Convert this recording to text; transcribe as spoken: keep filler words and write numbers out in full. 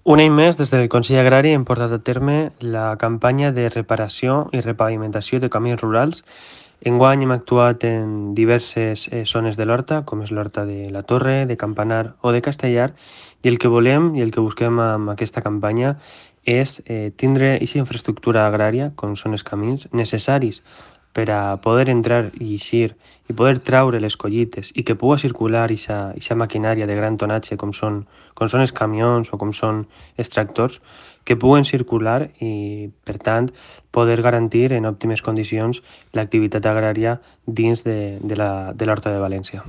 Un any més, des del Consell Agrari hem portat a terme la campanya de reparació i repavimentació de camins rurals. Enguany hem actuat en diverses eh, zones de l'Horta, com és l'Horta de la Torre, de Campanar o de Castellar, i el que volem i el que busquem amb aquesta campanya és eh, tindre aquesta infraestructura agrària, com són els camins, necessaris per a poder entrar i eixir i poder traure les collites i que puga circular aquesta maquinària de gran tonatge com són, com són els camions o com són els tractors, que puguen circular i, per tant, poder garantir en òptimes condicions l'activitat agrària dins de, de la, de l'Horta de València.